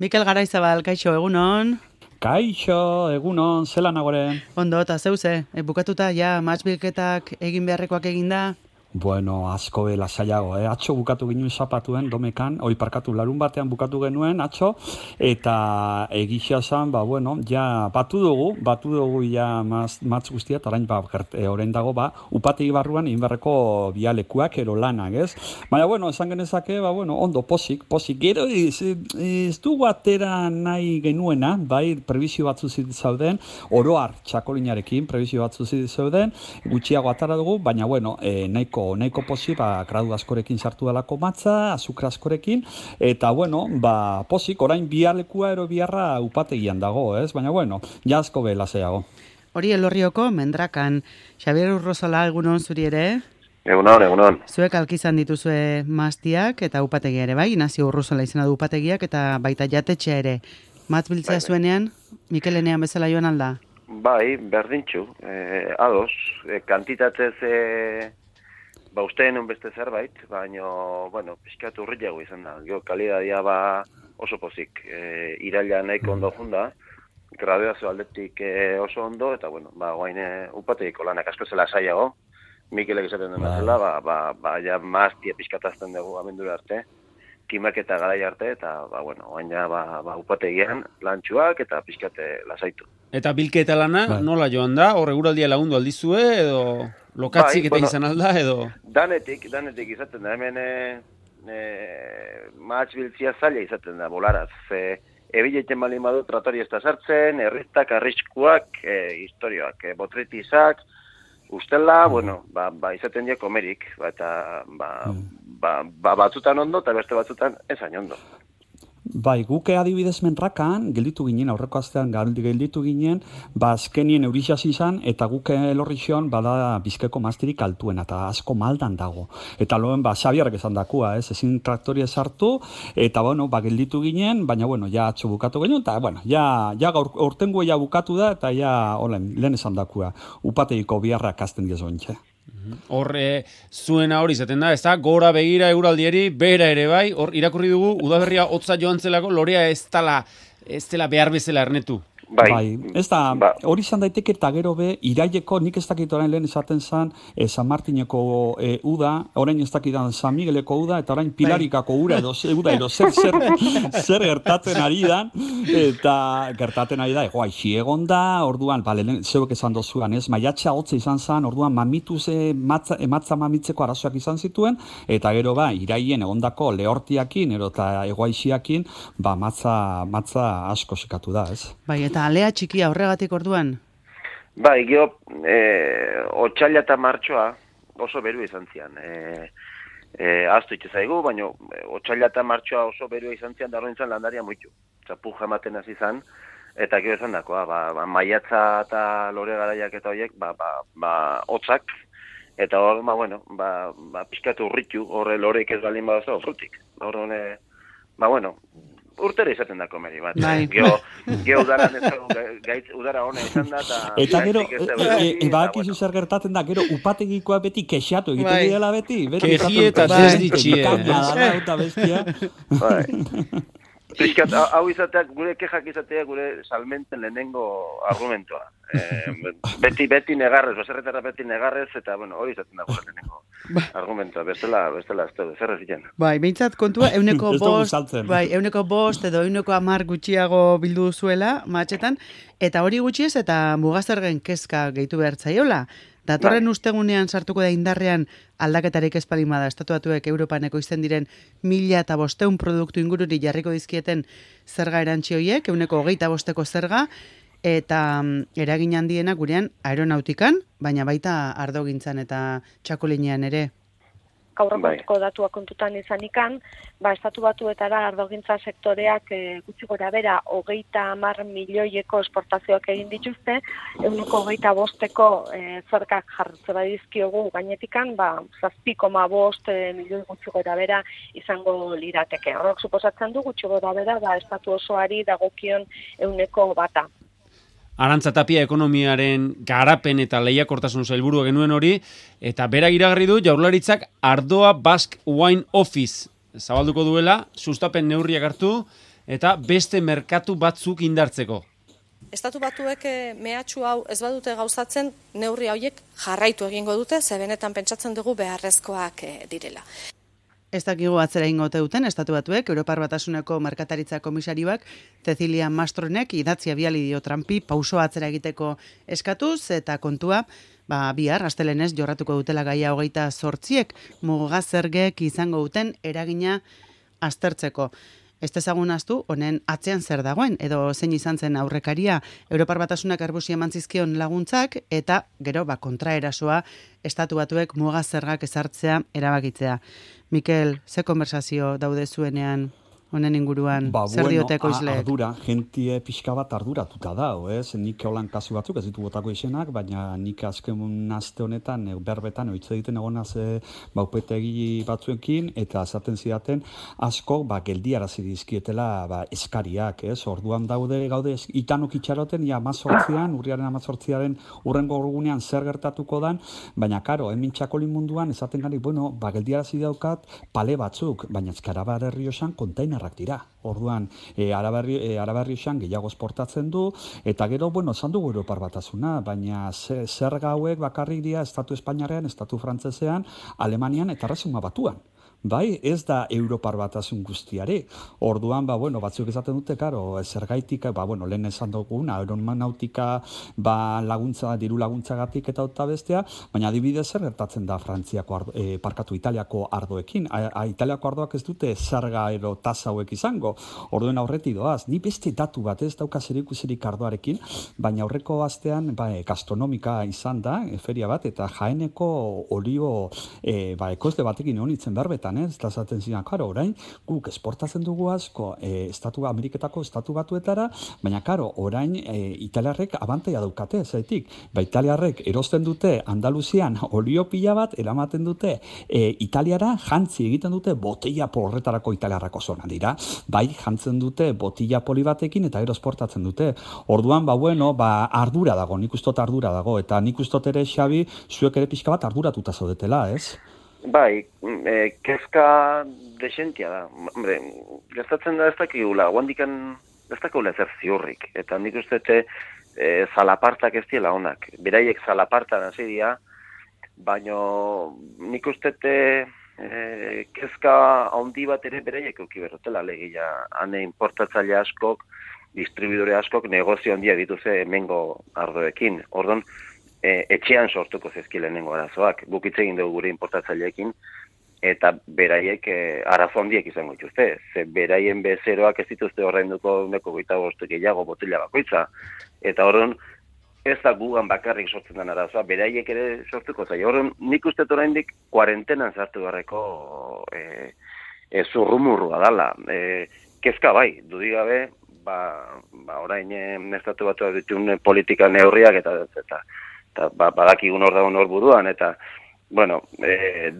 Mikel Garaizabal, kaixo, egunon? Kaixo, egunon, zelan agore? Ondo, eta zeuze, bukatuta, ja, matchbilketak egin beharrekoak eginda? Bueno, asko bela zailago, Atxo bukatu ginen zapatuen, domekan, parkatu larun batean bukatu genuen, atxo, eta egixia zan, ja, batu dugu, ja, matz guztia, eta orain, orain dago, upategi barruan, inberreko bialekuak, ero lanak, ez? Baina, esan genezake, ondo, posik, gero, ez dugu atera nahi genuena, bai, prebizio batzu zauden, oroar txakolinarekin, prebizio batzu zauden, gutxiago atara dugu, baina, nahiko posi, gradu askorekin sartu dalako matza, azukra askorekin, eta, posik, orain bialekua ero biarra upategian dago, ez? Baina, ja asko behela zeago. Hori Elorrioko mendrakan, Xabier Urrozola, egunon zuri ere? Egunon. Zuek alkizan dituzue maztiak eta upategia ere, bai? Inazio Urrozola izena du upategiak eta baita jatetxea ere. Matz biltzea zuenean, Mikelenean bezala joan alda? Bai, berdintxu, ados, kantitatez usteen beste zerbait, baina, pixkat urriago izan da. Kalidadia oso pozik, iraila nahiko ondo junda, graduazio aldetik oso ondo, eta, guain upategiko lanak asko zela saiago, Mikelek esaten den bezala, ja maztia pixkatazten dugu amendura arte, kimaketa garai arte, eta, guain ja, upategian lantxuak eta pixkate lasaitu. Eta bilketa lana, nola joan da? Hor eguraldia lagundu aldizue, edo lokatzik eta izan alda, edo? Danetik izaten da, hemen matx biltzia zaila izaten da, bolaraz. Ebileiten balin badu tratori ez da sartzen, erriztak, arriskuak, historioak, botritizak, ustela, izaten dira komerik, eta batzutan ondo, eta beste batzutan ezain ondo. Bai, guke adibidez menrakan, gelditu ginen, aurreko astean gelditu ginen, azkenien eurixas izan, eta guke Elorrixion bada bizkeko maztirik altuena, eta asko maldan dago. Eta loen, Xabierrek esan dakua, ezin traktoria sartu, eta, gelditu ginen, baina, ja atxo bukatu ginen, eta, ja ortengo ja bukatu da, eta ja, lehen esan dakua, upategiko biharrak azten diezointxe. Horre, zuena hori izaten da, ez da, gora begira eguraldieri, bera ere bai, hor irakurri dugu, udaberria hotza joan zelako, lorea ez dela behar bezala ernetu. Bai, ez da, hori izan daiteke eta gero be, iraileko, nik ez dakit orain lehen esaten zan, San Martineko uda, orain ez dakitan San Migueleko uda, eta orain Pilarikako ura edo zer gertatzen ari da, eta gertatzen ari da, aixi egon da, orduan, zeuek esan dozuan, ez, maiatxa hotza izan zan, orduan ematza mamitzeko arazoak izan zituen, eta gero iraien egondako lehortiakin, eta egoaixiakin, matza asko sekatu da, ez? Bai, eta alea txikia horregatik orduan? Bai, otxaila eta martxoa oso beru izan zian. Aztu itxezaigu, baina otxaila eta martxoa oso beru izan zian, darro nintzen landaria muitu. Puja ematen hasi izan, eta gero esan dakoa, maiatza eta lore garaiak eta horiek, hotzak, eta hor, pixkatu urritu, horre loreik ez balin badazo, frutik. Horre, urtera izaten da komeri bat. Geo udaran ez udara hona izan da. Eta gero, bakizu zer gertatzen da, gero upategikoa beti kexatu egiten dela beti. Kexi eta desditxie. Eta bestia. Piskat, hau izateak, gure kexak izatea gure salmenten lehenengo argumentoa. Beti negarrez, baserretara beti negarrez, eta hori izaten da gure lehenengo argumentoa. Bestela, ez da, zer ez diken. Bai, behintzat kontua, euneko bost edo euneko 10 gutxiago bildu zuela, matxetan, eta hori gutxiez eta mugazergen kezka gehitu behar zaiola. Datorren ustegunean sartuko da indarrean aldaketarik espalima da, estatuatuek Europaneko izten diren 1.500 produktu ingururi jarriko dizkieten zerga erantzi horiek, 25% zerga, eta eragin handiena gurean aeronautikan, baina baita ardogintzan eta txakulinean ere. Aurrekonteko datuak kontutan izanikan, estatu batuetara ardogintza sektoreak gutxi gora bera 30 milioieko esportazioak egin dituzte, 25% zergak jartze badizkiogu gainetikan, 7,5 milioi gutxi gora bera izango lirateke. Horrek suposatzen du gutxi gora bera estatu osoari dagokion 1%. Arantza Tapia ekonomiaren garapen eta lehiakortasun sailburua genuen hori, eta berak iragarri du Jaurlaritzak Ardoa Basque Wine Office zabalduko duela, sustapen neurriak hartu, eta beste merkatu batzuk indartzeko. Estatu Batuek mehatxu hau ez badute gauzatzen, neurri hauek jarraitu egingo dute, ze benetan pentsatzen dugu beharrezkoak direla. Ez dakigu atzera ingo duten Estatu Batuek, Europar Batasuneko Merkataritza Komisarioak Cecilia Mastronek idatzia biali dio Trumpi pauso atzera egiteko eskatuz, eta kontua, bihar, astelenez jorratuko dutela gaia 28ek mugazergek izango duten eragina aztertzeko. Ez dezagun ahaztu, honen atzean zer dagoen, edo zein izan zen aurrekaria Europar Batasunak Airbusi eman zizkion laguntzak, eta gero kontraerasoa Estatu Batuek muga zergak ezartzea erabakitzea. Mikel, ze konversazio daude zuenean honen inguruan, zer diote ekoizleek? Ardura, jentie pixka bat arduratuta da, nik holan kasu batzuk, ez ditu botako izenak, baina nik azken aste honetan, berbetan, oitze egiten egonaz baupetegi batzuekin, eta esaten zidaten, asko, geldiarazi dizkietela eskariak, orduan gaude, itanok itxaroten, urriaren 18an, urrengo orgunean zer gertatuko dan, baina karo, hemen txakolin munduan, esaten gari, geldiarazi daukat, pale batzuk, baina Arabar Errioxan kontainer dira. Orduan, Arabarri esan gehiago esportatzen du, eta gero, esan dugu Europar Batasuna, baina zerga hauek bakarrik dira Estatu Espainiarrean, Estatu Frantsesean, Alemanian eta Erresuma Batuan. Bai, ez da Europar Batasun guztiare. Orduan, batzuk esaten dute, zergaitik, lehen esan dugun, aeronautika laguntza, diru laguntzagatik eta bestea, baina adibidez zer gertatzen da Frantziako, Italiako ardoekin. Italiako ardoak ez dute zerga ero tasa hauek izango. Orduen aurretik doaz, ni beste datu bat ez dauka zerikusirik ardoarekin, baina aurreko astean gastronomika izan da, feria bat, eta Jaeneko olio ekoizle batekin honitzen berbetan, ez da zaten zidan, orain, guk esportatzen dugu asko Ameriketako Estatu Batuetara, baina orain italiarrek abantaia daukate, zaitik, italiarrek erosten dute Andaluzian olio pila bat, eramaten dute Italiara, jantzi egiten dute botella porretarako italiarrako zona dira, jantzen dute botella poli batekin eta gero esportatzen dute. Orduan, ardura dago, nik ustot ardura dago, eta nik ustot ere, Xabi, zuek ere pixka bat arduratuta zaudetela, ez? Bai, kezka desentia da. Hombre, gertatzen da ez dakigula, guandikan ez dakigula ezer ziurrik. Eta nik uste zalapartak ez diela honak. Beraiek zalapartan hasi dira, baina nik uste kezka handi bat ere beraiek euki berrotela legia. Hane importatzaile askok, distribuidore askok negozio handia dituze hemengo ardoekin. Orduan, etxean sortuko zezki lehenengo arazoak. Guk hitz egin dugu gure importatzaileekin, eta beraiek arazo handiek izango dituzte. Ze beraien bezeroak ez dituzte horrenduko 25 gehiago botella bakoitza. Eta horren, ez da gugan bakarrik sortzen den arazoa, beraiek ere sortuko zaio. Horren, nik uste oraindik kuarentenan sartu garreko zurrumurrua dala. Kezka bai, dudigabe, orain Estatu Batuak ditun politika neurriak eta badakigun hor dagoen hor buruan, eta,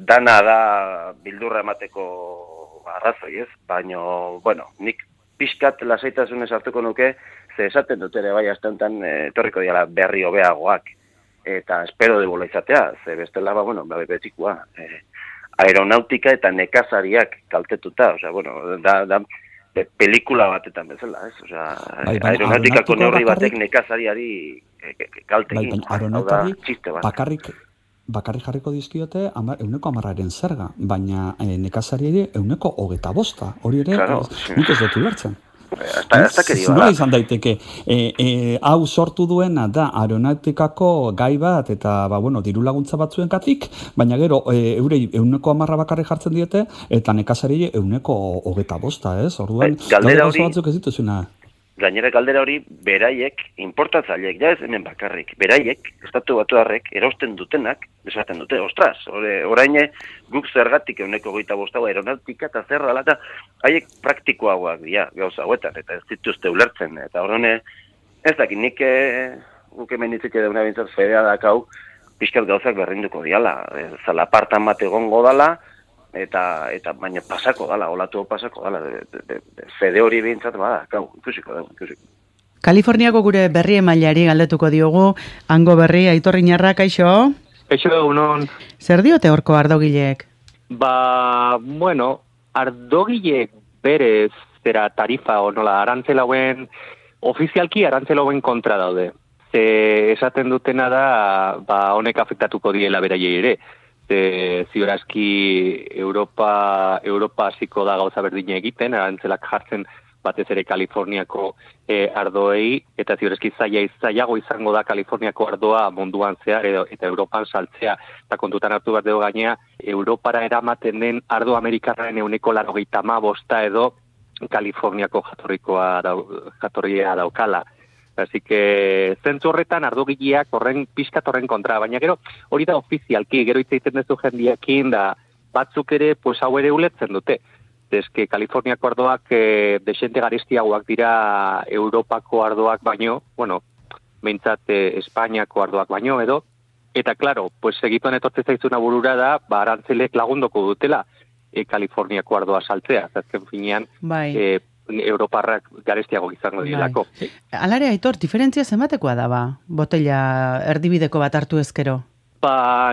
dana da bildurra emateko arrazoi, ez? Baina, nik pixkat lasaitasunez hartuko nuke, ze esaten dut ere bai astentan etorriko diala berri hobeagoak, eta espero debola izatea, ze bestela, betikoa, aeronautika eta nekazariak kaltetuta, da pelikula batetan bezala, ez? Aeronautikako neurri batek nekazariari kalte egin. Bakarrik jarriko dizkiote 110% zerga, baina nekazariari 125%. Hori ere, nik ez dut ulertzen. Nola izan daiteke, hau sortu duena da aeronautikako gai bat eta diru laguntza batzuengatik, baina gero eurei 110% bakarrik jartzen diete eta nekazari 125%, ez? Orduan, galdera hori batzuk ez dituzuna. Gainera galdera hori beraiek, importatzaileek, ja ez hemen bakarrik, beraiek, Estatu Batuarrek, erosten dutenak, esaten dute, ostras, orain guk zergatik 125% aeronautika eta zer dela, eta haiek praktikoagoak dira, gauza hauetan, eta ez dituzte ulertzen, eta horren ez dakit, nik guk hemen hitzik eduna bintzat fedea dakau, pixkat gauzak berrinduko diala, zalapartan bat egongo dala, eta baina pasako dala, olatu pasako dala, fede hori bintzat, ikusiko. Kaliforniako gure berri emailari galdetuko diogu, hango berri, Aitor Iñarra, kaixo? Kaixo, unon. Zer diote horko ardogileek? Ardogileek berez zera tarifa o nola arantzelauen, ofizialki arantzelauen kontra daude. Esaten dutena da, honek afektatuko diela beraiei ere. Ziurazki Europa hasiko da gauza berdina egiten, arantzelak jartzen batez ere Kaliforniako ardoei, eta ziurazki zailago izango da Kaliforniako ardoa munduan zehar eta Europan saltzea. Eta kontutan hartu behar dugu gainea, Europara eramaten den ardo amerikarraren 95% edo Kaliforniako jatorria daukala. Así que zentzu horretan ardogileak pixkat horren kontra, baina gero hori da ofizialki, gero hitz egiten duzu jendiakin da batzuk ere hau ere ulertzen dute. Eske Kaliforniako ardoak desente garestiagoak dira Europako ardoak baino, bueno, behintzat Espainiako ardoak baino edo, eta claro, segituan etortzen zaizuna burura da, arantzelek lagundoko dutela Kaliforniako ardoa saltzea, azken finean, Europarrak garestiago izango direlako. Alare, Aitor, diferentzia zenbatekoa da, botella erdibideko bat hartu ezkero?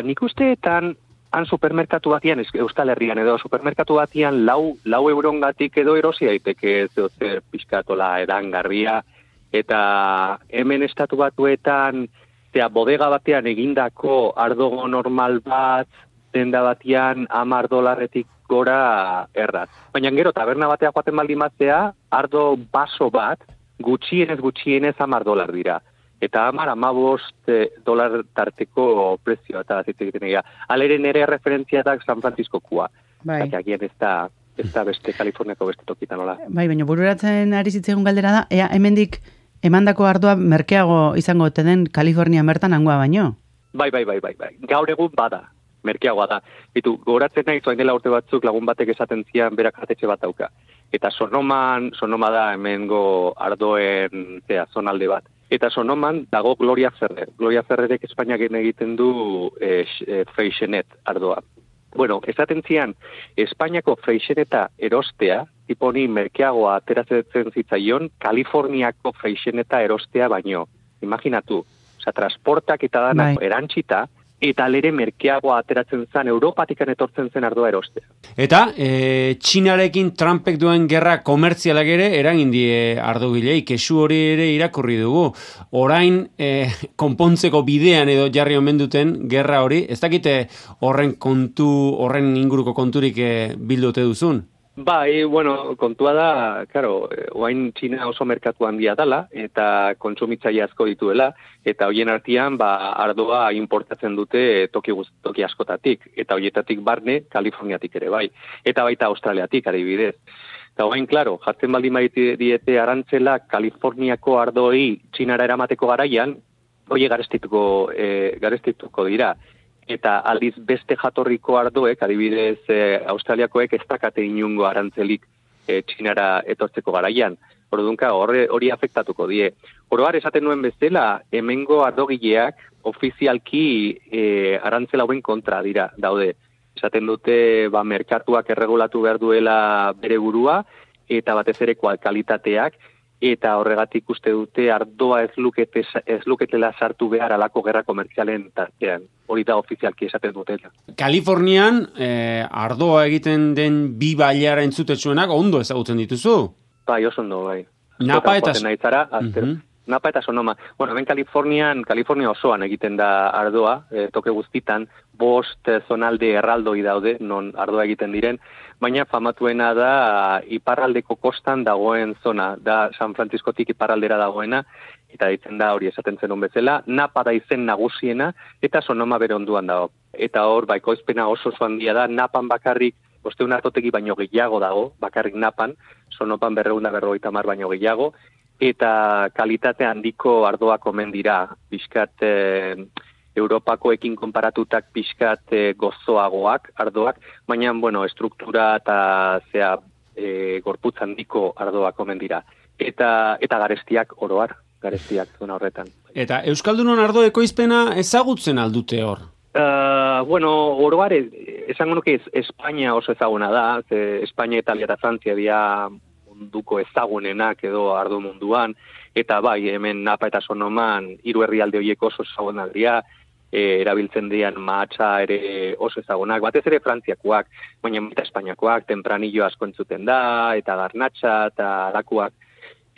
Nik usteetan, han supermerkatu batian, Euskal Herrian edo supermerkatu batian, lau eurongatik edo erosi daiteke zer pixkatola edangarria, eta hemen estatu batuetan, bodega batean egindako ardogo normal bat, denda batian $10 gora erraz. Baina gero, taberna batea joaten baldin batzea, ardo baso bat, gutxienez $10 dira. Eta $15 tarteko prezioa eta zitzegiten egia. Alere nere referentziatak San Francisco-kua. Eta agian ez da beste Kaliforniako beste tokitan hola. Baina bururatzen ari zitzegun galdera da, hemendik emandako ardoa merkeago izango ote den Kalifornia bertan hangoa baino? Bai. Gaur egun bada. Merkeagoa da. Goratzen nahi zoain dela urte batzuk lagun batek esaten zian berak jatetxe bat dauka. Eta Sonoma da hemengo ardoen zonalde bat. Eta Sonoman dago Gloria Ferrer. Gloria Ferrerek Espainiak egiten du Freixenet ardoa. Bueno, esaten zian, Espainiako Freixeneta erostea, tiponi merkeagoa ateratzen zitzaion, Kaliforniako Freixeneta erostea baino. Imaginatu, transportak eta dana erantxita, eta lere merkeagoa ateratzen zen, Europatikan etortzen zen ardoa erostea. Eta, Txinarekin Trumpek duen gerra komertzialak ere eragin die ardogilei, kesu hori ere irakurri dugu. Orain, konpontzeko bidean edo jarri omen duten gerra hori, ez dakite horren inguruko konturik bildute duzun? Bai, kontua da, oain Txina oso merkatu handia dala, eta kontsumitzaile asko dituela, eta hoien artean, ardoa importatzen dute toki askotatik, eta hoietatik barne, Kaliforniatik ere bai, eta baita Australiatik adibidez. Eta oain, jartzen baldin diete arantzela Kaliforniako ardoi Txinara eramateko garaian, hoi garestituko dira. Eta aldiz beste jatorriko ardoek, adibidez Australiakoek ez dakate inungo arantzelik Txinara etortzeko garaian. Ordunka hori afektatuko die. Oroar esaten nuen bezala, hemengo ardogileak ofizialki arantzela hauen kontra daude. Esaten dute merkatuak erregulatu behar duela bere burua, eta batez ere kalitateak, eta horregatik uste dute ardoa ez luketela sartu behar alako gerra komertzialen tartean. Hori da ofizialki esaten dutela. Kalifornian ardoa egiten den bi bailara entzutetsuenak ondo ezagutzen dituzu? Bai, oso ondo, bai. Napa eta Napa eta Sonoma. Ben Kalifornia osoan egiten da ardoa, toke guztitan, 5 zonalde erraldoi daude, non ardoa egiten diren, baina famatuena da iparraldeko kostan dagoen zona, da San Franciscotik iparraldera dagoena, eta ditzen da hori esaten zenun bezala, Napa da izen nagusiena, eta Sonoma bere onduan dago. Eta hor, ekoizpena oso handia da, Napan bakarrik, 500 artotegi baino gehiago dago, bakarrik Napan, Sonopan 250 baino gehiago, eta kalitate handiko ardoak omen dira, pixkat Europakoekin konparatutak pixkat gozoagoak ardoak, baina, estruktura eta gorputz handiko ardoak omen dira. Eta garestiak oroar, garestiak zona horretan. Eta Euskaldunon ardo ekoizpena ezagutzen aldute hor? Oroar, esango nuke Espainia oso ezaguna da, Espainia, Italia eta Frantzia dira munduko ezagunenak edo ardo munduan, eta bai, hemen Napa eta Sonoman 3 herrialde horiek oso ezagunak dira, erabiltzen dian mahatsa ere oso ezagunak, batez ere frantziakoak, baina eta espainiakoak, tempranillo asko entzuten da, eta garnatxa, eta alakoak.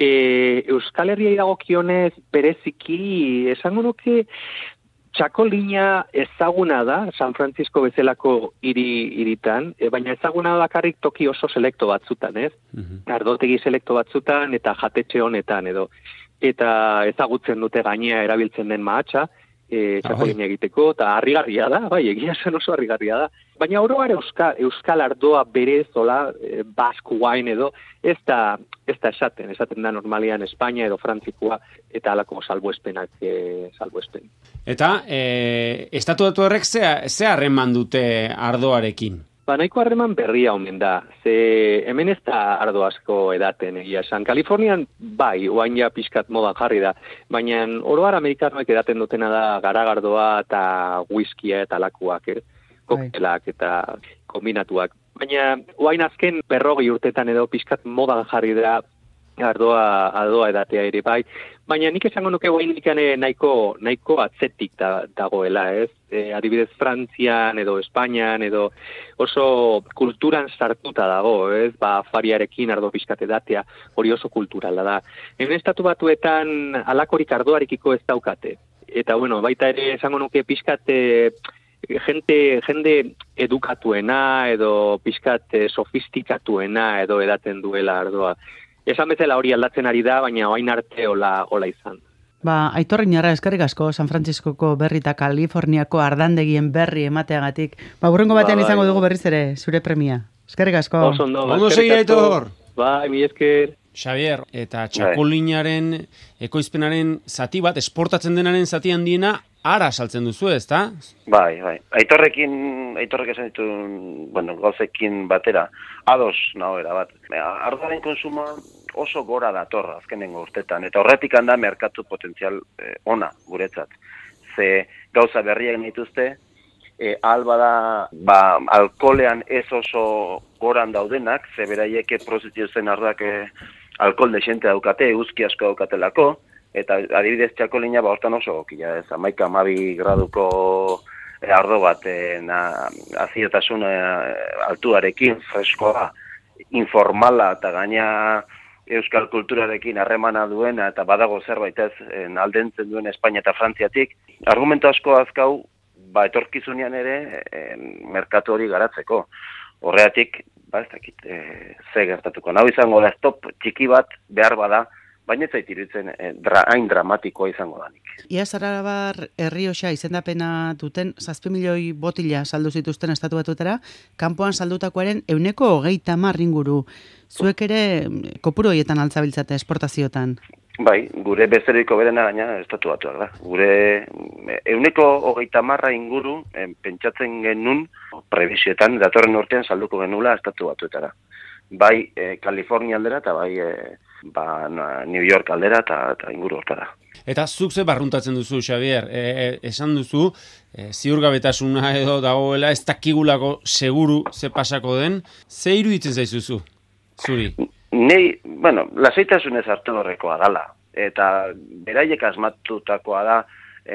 Euskal Herriai dagokionez bereziki, esango nuke, txakolina ezaguna da, San Francisco bezalako hiritan, baina ezaguna da bakarrik toki oso selekto batzutan, ez? Ardotegi selekto batzutan eta jatetxe honetan edo. Eta ezagutzen dute gainea erabiltzen den mahatsa, txakolina egiteko, eta harrigarria da, bai, egia zen oso harrigarria da. Baina oroar euskal ardoa berezola, Basque wine edo, ez da esaten da normalian Espainia edo Frantzikoa, eta alako salbuespenak salbuespen. Eta, estatuatu horrek ze harreman dute ardoarekin? Nahiko harreman berria omen da, ze hemen ez da ardo asko edaten egia esan. Kalifornian bai, oain ja pixkat modan jarri da, baina oroar amerikanoek edaten dutena da garagardoa eta whiskia eta lakuak, koktelak eta kombinatuak. Baina oain azken 40 urtetan edo pixkat modan jarri da ardoa edatea ere bai, baina nik esango nuke oain nahiko atzetik dagoela, ez? Adibidez Frantzian edo Espainian edo oso kulturan sartuta dago, ez? Fariarekin ardo pixkat edatea hori oso kulturala da. Hemen estatu batuetan alakorik ardoarekiko ez daukate. Eta bueno, baita ere esango nuke pixkat jende edukatuena edo pixkat sofistikatuena edo edaten duela ardoa. Esan bezala hori aldatzen ari da, baina orain arte hola izan. Aitor Iñarra, eskerrik asko San Franciscoko berri eta Kaliforniako ardandegien berri emateagatik. Hurrengo batean izango dugu berriz ere, zure premia. Eskerrik asko. Ondo segi, Aitor. Mi esker. Xavier, eta txakolinaren ekoizpenaren zati bat, esportatzen denaren zati handiena, ara saltzen duzu, ezta? Bai. Aitorrek esan ditu, gauzekin batera, ados nahoera bat. Ardoaren konsumoa oso gora dator azkenengo urtetan, eta horretik handa merkatu potentzial ona guretzat. Ze gauza berriak nituzte, albada alkolean ez oso goran daudenak, ze beraieke prozitiozen ardoak alkohol desente daukate, eguzki asko daukatelako, eta adibidez txakolina hortan oso gokia, ez 11-12 graduko ardo bat aziotasun altuarekin, freskoa, informala eta gaina euskal kulturarekin harremana duena eta badago zerbait ez aldentzen duen Espainia eta Frantziatik. Argumento asko azkau, etorkizunean ere merkatu hori garatzeko. Horregatik, ez dakit, ze gertatuko. Hau izango da stop txiki bat behar bada, baina ez zait iruditzen hain dramatikoa izango danik. Ia Arabar Errioxa izendapena duten 7 milioi botila saldu zituzten estatu batuetara, kanpoan saldutakoaren 130 inguru. Zuek ere kopuru horietan altzabiltzate esportaziotan? Bai, gure bezeriko berena gaina estatu batuak da. Gure 130 inguru pentsatzen genuen prebisioetan datorren urtean salduko genula estatu batuetara. Bai Kalifornia aldera eta bai New York aldera eta inguru hortara. Eta zuk ze barruntatzen duzu, Xavier? Esan duzu, ziurgabetasuna edo dagoela, ez dakigulako seguru ze pasako den, ze iruditzen zaizuzu, zuri? Nei, lasaitasunez hartu horrekoa dala, eta beraiek asmatutakoa da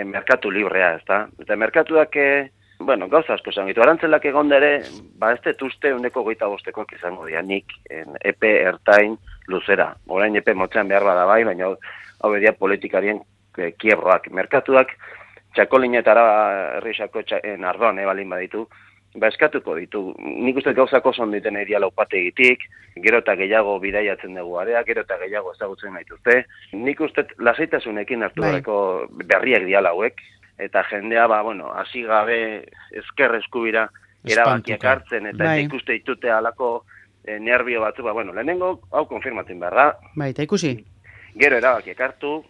merkatu librea, ezta? Eta merkatuak, gauza asko esan gitu, arantzelak egon dere, ez detuzte 125 izango dianik, epe ertain luzera. Orain epe motzean behar bada bai, baina hau bedia politikarien kiebroak. Merkatuak, txakolina eta Errioxako ardoan balin baditu, eskatuko ditu. Nik uste gauzako son diten eria laupate egitik, gero eta gehiago bidaiatzen dugu area, gero eta gehiago ezagutzen naituzte. Nik uste lasaitasunekin hartu gareko berriak diala hauek, eta jendea, hasi gabe ezker eskubira erabakiak hartzen, eta ikuste ditute alako nervio batzu, lehenengo hau konfirmatzen behar da. Eta ikusi. Gero erabakiak hartu,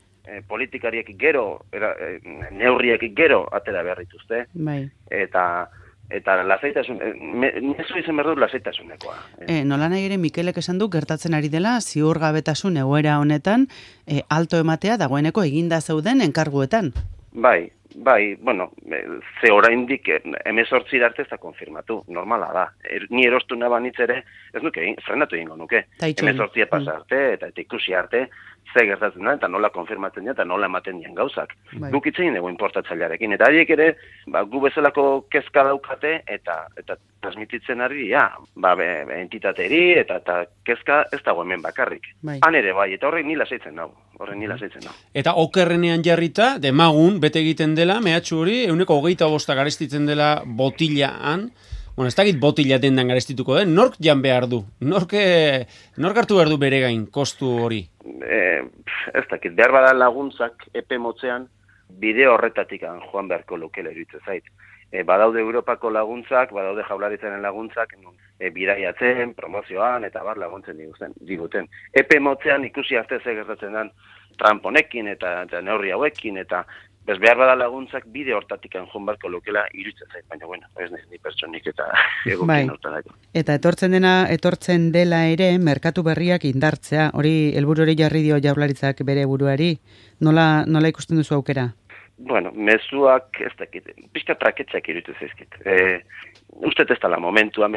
politikariek gero, neurriek gero atera behar dituzte. Eta lasaitasun, nezu izan behar dut lasaitasunekoa. Nola nahi ere Mikelek esan du gertatzen ari dela ziurgabetasun egoera honetan alto ematea dagoeneko eginda zeuden enkarguetan. Bai, ze oraindik 18 arte ez da konfirmatu, normala da. Ni erostu nabanitz ere, ez nuke, frenatu egingo nuke. 18 pasa arte, eta ikusi arte, ze gertatzen da, eta nola konfirmatzen dira, eta nola ematen dian gauzak. Guk itzein dugu importatzailearekin, eta horiek ere, gu bezalako kezka daukate, eta transmititzen ari, entitateri, eta kezka ez dago hemen bakarrik. Han ere bai, eta horrek nila zeitzen dago. Eta okerrenean jarrita, demagun, bete egiten dela, mehatxu hori, 125 garestitzen dela botilaan. Bueno, ez dakit botila dendan garestituko den, nork jan behar du? Nork hartu behar du bere gain, kostu hori? Ez dakit, behar bada laguntzak epe motzean, bide horretatik joan beharko lukela iruditzen zait. Badaude Europako laguntzak, badaude Jaurlaritzaren laguntzak, bidaiatzen, promozioan, eta laguntzen diguten. Epe motzean ikusi arte ze gertatzen den Trump honekin, eta neurri hauekin, eta behar bada laguntzak bide hortatik joan beharko lukela iruditzen zait, baina bueno, ez ni pertsonik eta egokin hortarako. Eta etortzen dela ere, merkatu berriak indartzea, hori helburu hori jarri dio Jaurlaritzak bere buruari, nola ikusten duzu aukera? Bueno, mezuak, ez dakit, pixka traketxak iruditzen zaizkit. Ustet ez dela momentua,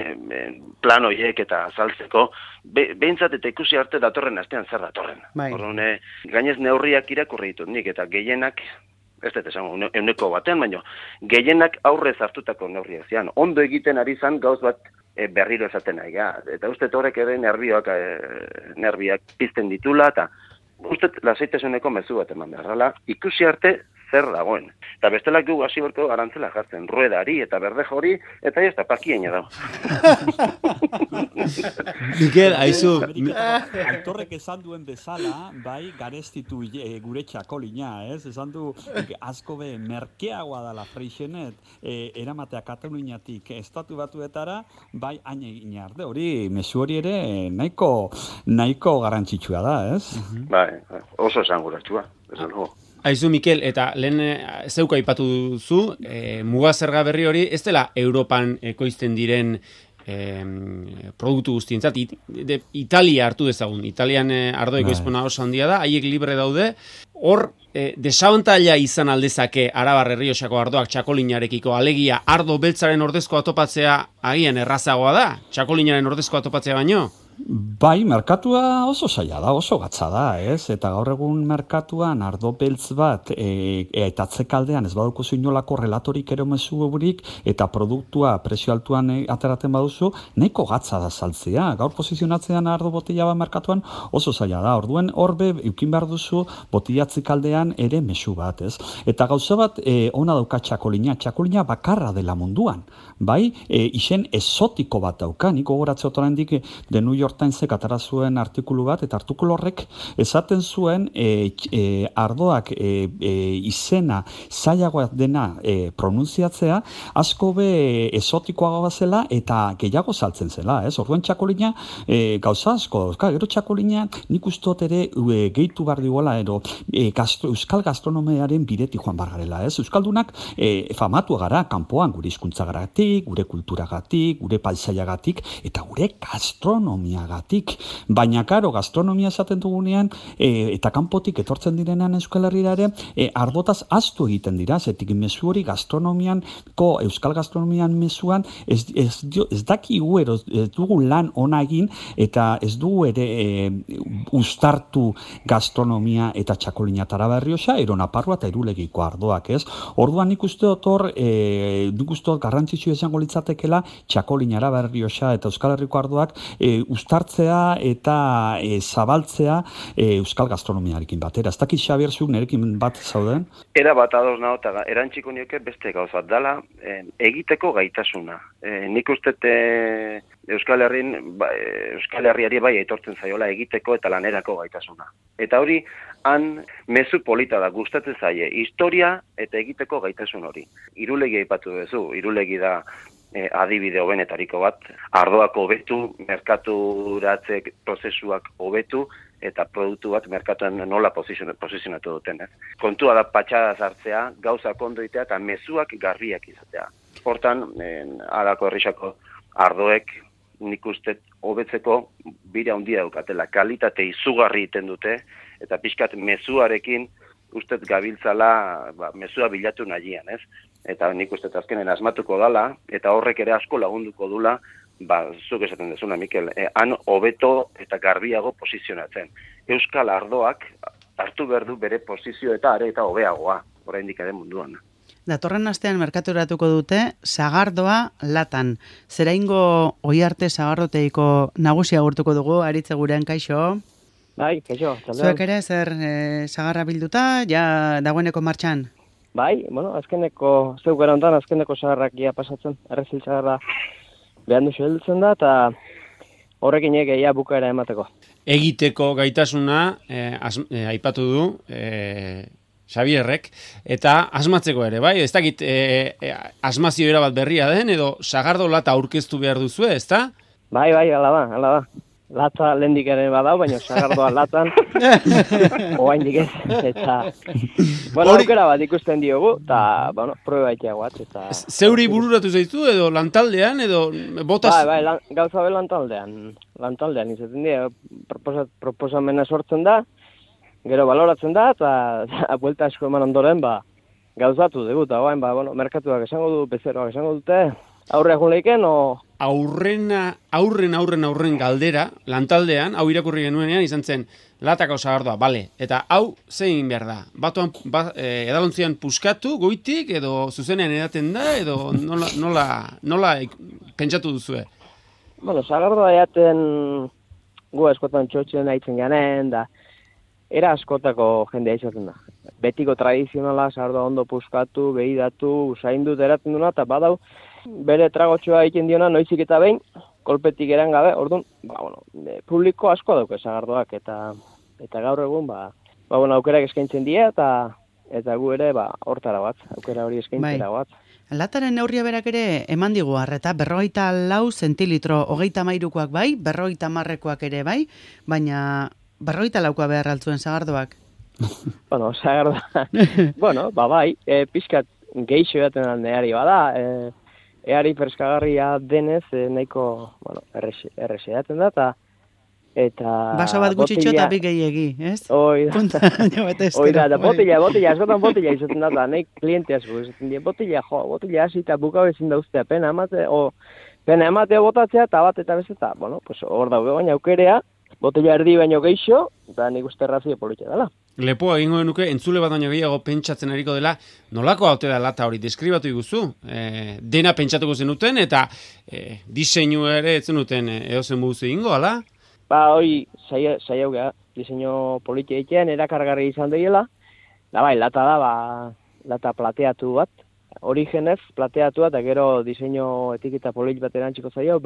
plan horiek eta azaltzeko, behintzat eta ikusi arte datorren astean zer datorren. Horren, gainez neurriak irakurri ditut nik, eta gehienak, ez dut esango, 100 baina gehienak aurrez hartutako neurriak zian. Ondo egiten ari zan gauz bat berriro esaten nahi, eta uste horrek ere nerbiak pizten ditula, eta uste lasaitasuneko mezu bat eman beharrala, ikusi arte zer dagoen. Eta bestelak gu hasi berko arantzela jartzen, ruedari eta berdejo hori, eta ez da pakieina dago. Mikel, aizu. Aitorrek esan duen bezala, bai, garestitu gure txakolina, ez? Esan du, asko merkeagoa dala freixenet, eramatea Kataluniatik estatu batuetara, bai, hain egin arde, hori, mezu hori ere, nahiko garrantzitsua da, ez? Bai, oso esanguratsua, esan dugu. Aizu, Mikel, eta lehen zeuka aipatu duzu, mugazerga berri hori, ez dela Europan ekoizten diren produktu guztientzat, Italia hartu dezagun, Italian ardo ekoizpena oso handia da, haiek libre daude, hor desabantaila izan aldezake Arabar Errioxako ardoak txakolinarekiko, alegia ardo beltzaren ordezkoa topatzea agian errazagoa da, txakolinaren ordezkoa topatzea baino? Bai, merkatua oso zaila da, oso gatza da, ez? Eta gaur egun merkatuan ardo beltz bat eta atzekaldean ez baduko inolako relatorik ere mezurik eta produktua prezio altuan ateraten baduzu, nahiko gatza da saltzea. Gaur posizionatzean ardo botila bat merkatuan oso zaila da. Orduen horbe eukin behar duzu botila atzekaldean ere mezu bat, ez? Eta gauza bat ona dauka txakolina bakarra dela munduan. Bai, izen esotiko bat dauka, niko goratze otorendik de New York Timesek atara zuen artikulu bat, eta artikulu horrek esaten zuen ardoak izena zailagoa dena pronunziatzea, asko be esotikoagoa zela eta gehiago saltzen zela, ez? Orduan txakolina gauza asko, gero txakolina nik ustot ere gehitu behar diguela, euskal gastronomiaren bidetik joan bargarela, ez? Euskaldunak famatua gara, kanpoan gure hizkuntzagatik, gure kulturagatik, gure paisaiagatik, eta gure gastronomia gatik. Baina, karo, gastronomia esaten dugunean, eta kanpotik etortzen direnean Euskal Herrira ere, ardotaz astu egiten dira, zetik mezu hori euskal gastronomian mezuan, ez dakigu ez dugu lan ona egin, eta ez dugu ere uztartu gastronomia eta txakolina eta Arabar Errioxa, Naparroa eta Irulegiko ardoak, ez? Orduan nik uste dut garrantzitsua izango litzatekela txakolina, Arabar Errioxa eta Euskal Herriko ardoak uztartzea eta zabaltzea euskal gastronomiarekin batera. Ez dakit, Xabier, zuk nerekin bat zauden? Era bat ados nago, eta erantziko nioke beste gauz bat dala, egiteko gaitasuna. Nik uste Euskal Herriari bai aitortzen zaiola egiteko eta lanerako gaitasuna. Eta hori, han mezu polita da, gustatzen zaie, historia eta egiteko gaitasun hori. Irulegi aipatu duzu, Irulegi da adibide hobenetariko bat, ardoak hobetu, merkaturatze prozesuak hobetu, eta produktu bat merkatuan nola posizionatu duten. Kontua da patxada sartzea, gauzak ondo itea eta mezuak garbiak izatea. Hortan, Arako Errioxako ardoek nik uste hobetzeko bira handia daukatela, kalitate izugarri iten dute, eta pixkat mezuarekin ustez gabiltzala mezua bilatu nahian, ez? Eta nik uste azkenen asmatuko dala, eta horrek ere asko lagunduko dula, zuk esaten dezuna, Mikel, han hobeto eta garbiago posizionatzen. euskal ardoak hartu behar du bere posizio eta are eta hobeagoa, oraindik ere munduan. Datorren astean merkaturatuko dute sagardoa latan. Zeraingo Oiarte sagardoteiko nagusia agurtuko dugu, Aritz Eguren, kaixo. Bai, kaixo. Zuek ere zer sagarra bilduta, ja dagoeneko martxan? Bai, bueno, azkeneko, zeu gara ondan, azkeneko sagarrak ia pasatzen, errezil sagarra behan duzu heltzen da, eta horrekin egia bukaera emateko. Egiteko gaitasuna aipatu du Xabierrek, eta asmatzeko ere, bai? Ez dakit asmazio era bat berria den, edo sagardo lata aurkeztu behar duzu, ezta? Bai, ala da. Lata lehendik ere badau, baina sagardoa latan, oaindik ez, eta, bueno, aukera bat ikusten diogu, eta, bueno, proba itiagoat, eta... Zeuri bururatu zaitu, edo lantaldean, edo botaz... Bai, gauza be lantaldean izaten dira, proposamena sortzen da, gero baloratzen da, eta buelta asko eman ondoren, gauzatu dugu, eta bueno, merkatuak esango du, bezeroak esango dute, aurre egun leiken, aurren galdera, lantaldean, hau irakurri genuenean, izan zen, latako sagardoa, bale, eta hau zein behar da? Batuan, edalontzian puskatu, goitik, edo zuzenean edaten da, edo nola pentsatu duzue? Bueno, sagardoa eaten gu askotan txotxen haitzen ganen, da, era askotako jendea izaten da. Betiko tradizionala, sagardoa ondo puskatu, behidatu, usaindut eraten duna, eta badau, bere tragotxoa egiten diona noizik eta behin, kolpetik eran gabe, orduan, publiko asko dauke sagardoak, eta gaur egun, aukerak eskaintzen die, eta gu ere, hortara bat, aukera hori eskaintzera bat. Lataren neurria berak ere eman digu harreta, 44 zentilitro, 33koak bai, 50koak ere bai, baina 44koa behar altzuen sagardoak. Bueno, sagardoa, bai, pixkat geixo edaten aldeari bada, eari freskagarria denez, nahiko, errese edaten da, eta... Baso bat gutxitxo eta bi gehiegi, ez? Da, botila, askotan botila izaten da, nahi kliente asko, izaten dira, botila hasi eta bukau ezin dauztea, pena ematea botatzea, eta bat eta bezeta, hor daude baina aukerea, botila erdi baino geixo, eta nik uste razio politxe dela. Lepoa egingo genuke, entzule bat baino gehiago pentsatzen ariko dela, nolako haute da lata hori, deskribatu iguzu, dena pentsatuko zenuten, eta diseinu ere zenuten edozen buzu egingo, ala? Hori, saiau geha, diseinu politia egitean, erakargarri izan daiela, da bai, lata da, lata plateatu bat, origenez plateatu bat, eta gero diseinu etiketa polit bat erantziko zaio,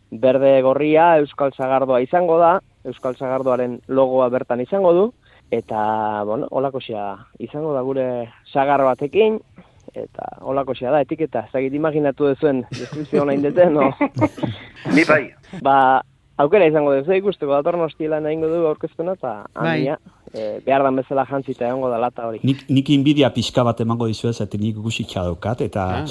berde gorria, Euskal Sagardoa izango da, Euskal Sagardoaren logoa bertan izango du, eta, holakosia izango da gure sagar batekin, eta holakosia da, etiketa, ez dakit imaginatu duzuen deskripzio nahi deten, no? Ni bai. Aukera izango duzu, ikusteko datorren hostilan egingo du aurkezpena, eta handia, behar dan bezala jantzita egongo da lata hori. Nik inbidia pixka bat emango dizuez, eta nik guzitxa daukat, eta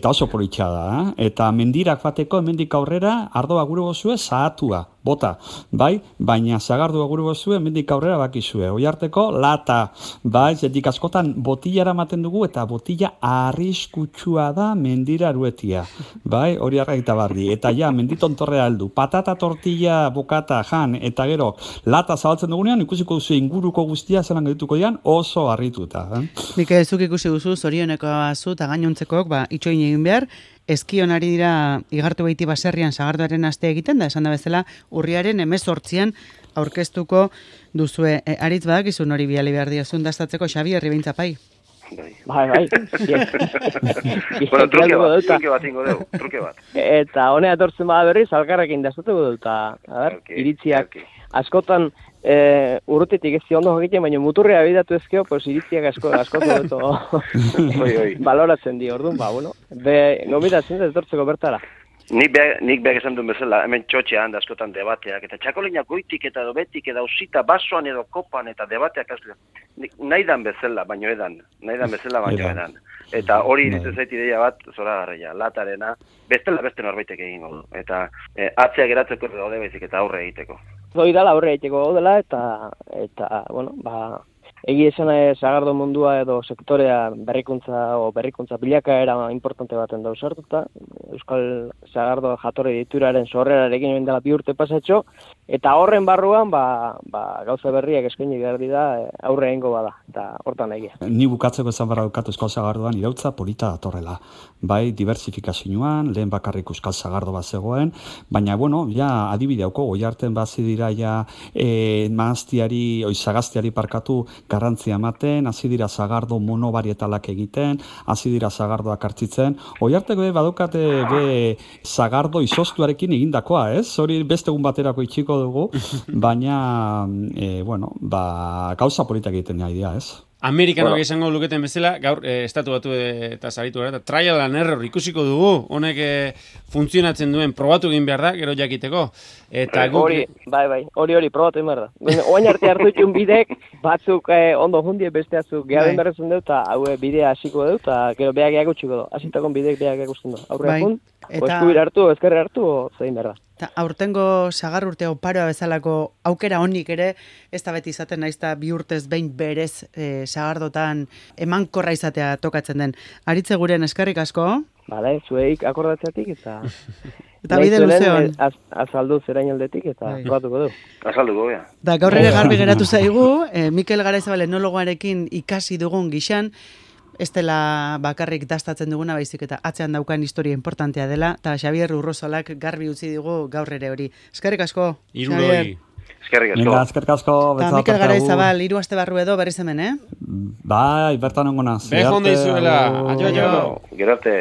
oso politxa da. Eta mendirak bateko, mendik aurrera, ardoa gure gozue, zahatua, bota, bai? Baina zagardua gure gozue, mendik aurrera bakizue. Oiarteko, lata, bai? Zetik askotan botillara maten dugu, eta botilla arriskutsua da mendira aruetia. Bai? Hori arraita bardi. Eta ja, menditontorrea aldu. Patata tortilla, bokata, jan, eta gero, lata zabaltzen dugunean, ikusiko duzu inguruko guztia zelan gaituko dian, oso harrituta. Nik zuk ikusi duzu, zorioneko azu, eta gainontzekoak, itxoin egin behar, eskionari dira igartu behiti baserrian sagardoaren aste egiten, da esan da bezala urriaren 18an aurkeztuko duzue. Aritz badakizun hori biali behar diazun dastatzeko, Xabier, Ribintzapai. Bai. Truke bat. Eta honea etortzen bada berriz, alkarrekin dastatuko dut, iritziak askotan urrutitik ez ondo egiten, baina muturrea bidatu ezkeo, iritziak asko dut baloratzen di, orduan, gomitatzen dut etortzeko bertara. Nik behar esan duen bezala, hemen txotxean da askotan debateak, eta txakoleinak goitik eta dobetik, eta usita basoan edo kopan, eta debateak nahi dan bezala, baino edan. Eta hori iritzen zait ideia bat, zora garraia, latarena, beste norbaitek egingo du. Eta atzea geratzeko daude baizik eta aurre egiteko. Hoi dala aurre egiteko gaudela, eta egi esan sagardo mundua edo sektorea berrikuntza bilakaera importante baten dauz hartuta. Euskal Sagardo jatorri dituraren sorrerarekin dela 2 urte pasatxo, Eta horren barruan, gauza berriak eskaini behar dira aurre egingo bada, eta hortan egia. Ni bukatzeko esan barra dukatu Euskal Sagardoan irautza polita datorrela. Bai, diversifikazioan, lehen bakarrik Euskal Sagardo bat zegoen, baina, bueno, ja, adibide hauko, Goiarten bazi dira ja sagaztiari parkatu garrantzia ematen, hasi dira sagardo monobarietalak egiten, hasi dira sagardoak hartzitzen, Goiarteko badukate sagardo izoztuarekin egindakoa, ez? Hori beste egun baterako itxiko dugu, baina, gauza politak egiten nahi dira, ez? Amerikanok izango luketen bezala, gaur estatu batu eta saritu gara, eta trial and error ikusiko dugu, honek funtzionatzen duen, probatu egin behar da, gero jakiteko. Eta hori probatu egin behar da. Oain arte hartu itxun bidek, batzuk ondo jundie beste atzuk gehaben berrezen dut, eta haue bidea hasiko dut, eta gero beak eakutsiko du. Asitakon bidek beak eakusten du. Aurre akun, eskubir hartu, ezkerre hartu, zein behar da. Aurtengo sagar urte oparoa bezalako aukera honik ere, ez da beti izaten naiz da bi urtez behin berez sagardotan emankorra izatea tokatzen den. Aritze guren eskerrik asko. Bale, zueik akordatzeatik eta... Eta bide luzeon. Azaldu zerain aldetik eta probatuko du. Azalduko, ja. Da gaur ere garbi geratu zaigu, Mikel Garaizabal enologoarekin ikasi dugun gixan, ez dela bakarrik dastatzen duguna baizik eta atzean daukan historia importantea dela, eta Xabier Urrosolak garbi utzi digu gaur ere hori. Eskerrik asko, Xabier. Eskerrik asko. Eta Mikel Garaizabal, 3 aste barru edo berriz hemen, Bai, bertan ongo naz. Bejo honda izuela. Gerote.